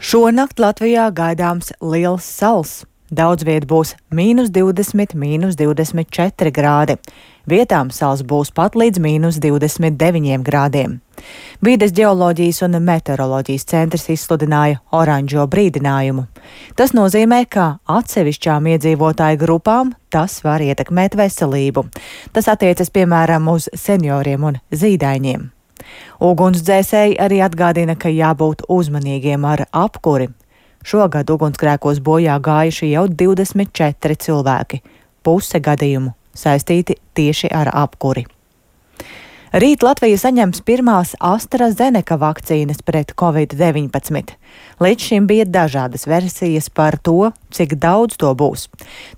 Šonakt Latvijā gaidāms liels sals. Daudz viet būs -20, -24 grādi. Vietām sals būs pat līdz -29 grādiem. Vides ģeoloģijas un meteoroloģijas centrs izsludināja oranžo brīdinājumu. Tas nozīmē, ka atsevišķām iedzīvotāju grupām tas var ietekmēt veselību. Tas attiecas piemēram uz senioriem un zīdaiņiem. Ugunsdzēsēji arī atgādina, ka jābūt uzmanīgiem ar apkuri. Šogad ugunsgrēkos bojā gājuši jau 24 cilvēki. Puse gadījumu saistīti tieši ar apkuri. Rīt Latvija saņems pirmās AstraZeneca vakcīnas pret Covid-19. Līdz šim bija dažādas versijas par to, cik daudz to būs.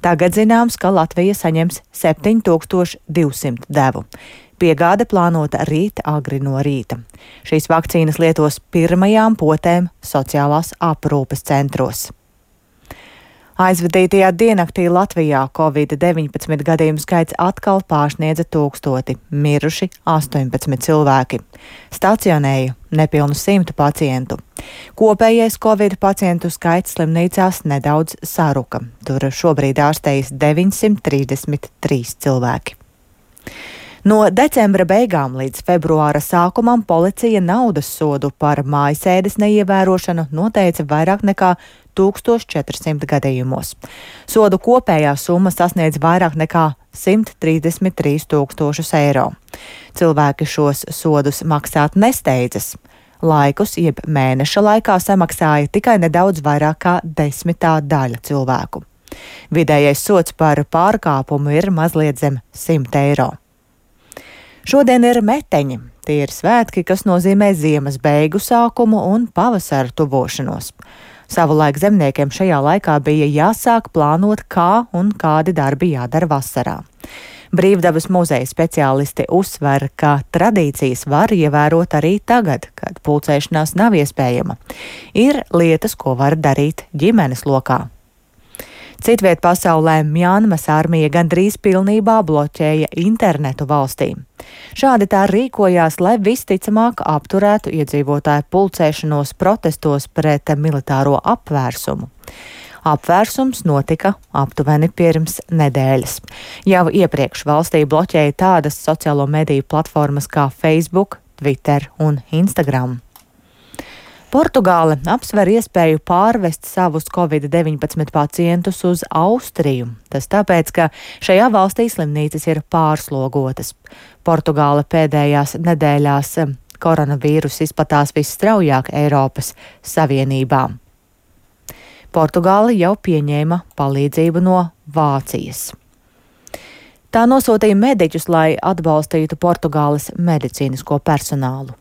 Tagad zināms, ka Latvija saņems 7200 devu. Piegāde plānota rīt agri no rīta. Šīs vakcīnas lietos pirmajām potēm sociālās aprūpes centros. Aizvadītajā diennaktī Latvijā Covid-19 gadījumu skaits atkal pārsniedza 1000, miruši 18 cilvēki. Stacionēja nepilnu 100 pacientu. Kopējais Covid pacientu skaits slimnīcās nedaudz saruka. Tur šobrīd ārstējas 933 cilvēki. No decembra beigām līdz februāra sākumam policija naudas sodu par mājasēdes neievērošanu noteica vairāk nekā 1400 gadījumos. Sodu kopējā summa sasniedz vairāk nekā 133 000 eiro. Cilvēki šos sodus maksāt nesteidzas. Laikus, jeb mēneša laikā samaksāja tikai nedaudz vairāk kā 10. daļa cilvēku. Vidējais sods par pārkāpumu ir mazliet zem 100 eiro. Šodien ir meteņi. Tie ir svētki, kas nozīmē ziemas beigu sākumu un pavasara tuvošanos. Savulaik zemniekiem šajā laikā bija jāsāk plānot, kā un kādi darbi jādara vasarā. Brīvdabas muzeja speciālisti uzsver, ka tradīcijas var ievērot arī tagad, kad pulcēšanās nav iespējama. Ir lietas, ko var darīt ģimenes lokā. Citviet pasaulē Mjanmas armija gandrīz pilnībā bloķēja internetu valstī. Šādi tā rīkojās, lai visticamāk apturētu iedzīvotāju pulcēšanos protestos pret militāro apvērsumu. Apvērsums notika aptuveni pirms nedēļas. Jau iepriekš valstī bloķēja tādas sociālo mediju platformas kā Facebook, Twitter un Instagram. Portugāle apsver iespēju pārvest savus Covid-19 pacientus uz Austriju. Tas tāpēc, ka šajā valstī slimnīcas ir pārslogotas. Portugāle pēdējās nedēļās koronavīrus izplatās visstraujāk Eiropas Savienībā. Portugāle jau pieņēma palīdzību no Vācijas. Tā nosūtīja mediķus, lai atbalstītu Portugāles medicīnisko personālu.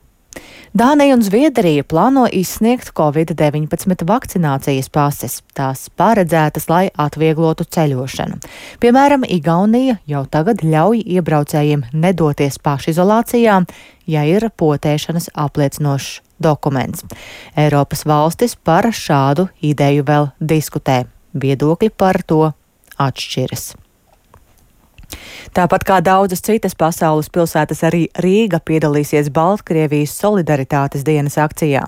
Dānija un Zviedrija plāno izsniegt Covid-19 vakcinācijas pases. Tās paredzētas, lai atvieglotu ceļošanu. Piemēram, Igaunija jau tagad ļauj iebraucējiem nedoties pašizolācijā, ja ir potēšanas apliecinošs dokuments. Eiropas valstis par šādu ideju vēl diskutē. Viedokļi par to atšķiras. Tāpat kā daudzas citas pasaules pilsētas, arī Rīga piedalīsies Baltkrievijas solidaritātes dienas akcijā.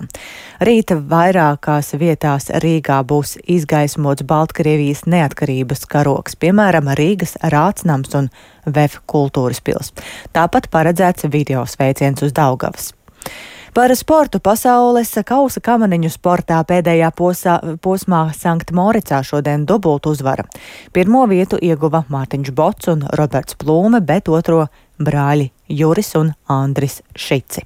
Rīta vairākās vietās Rīgā būs izgaismots Baltkrievijas neatkarības karogs, piemēram, Rīgas Rācnams un VF kultūras pils. Tāpat paredzēts video sveiciens uz Daugavas. Par sportu pasaules kausa kamaniņu sportā pēdējā posmā Sanktmoricā šodien dubultu uzvara. Pirmo vietu ieguva Mārtiņš Bots un Roberts Plūme, bet otro brāļi Juris un Andris Šici.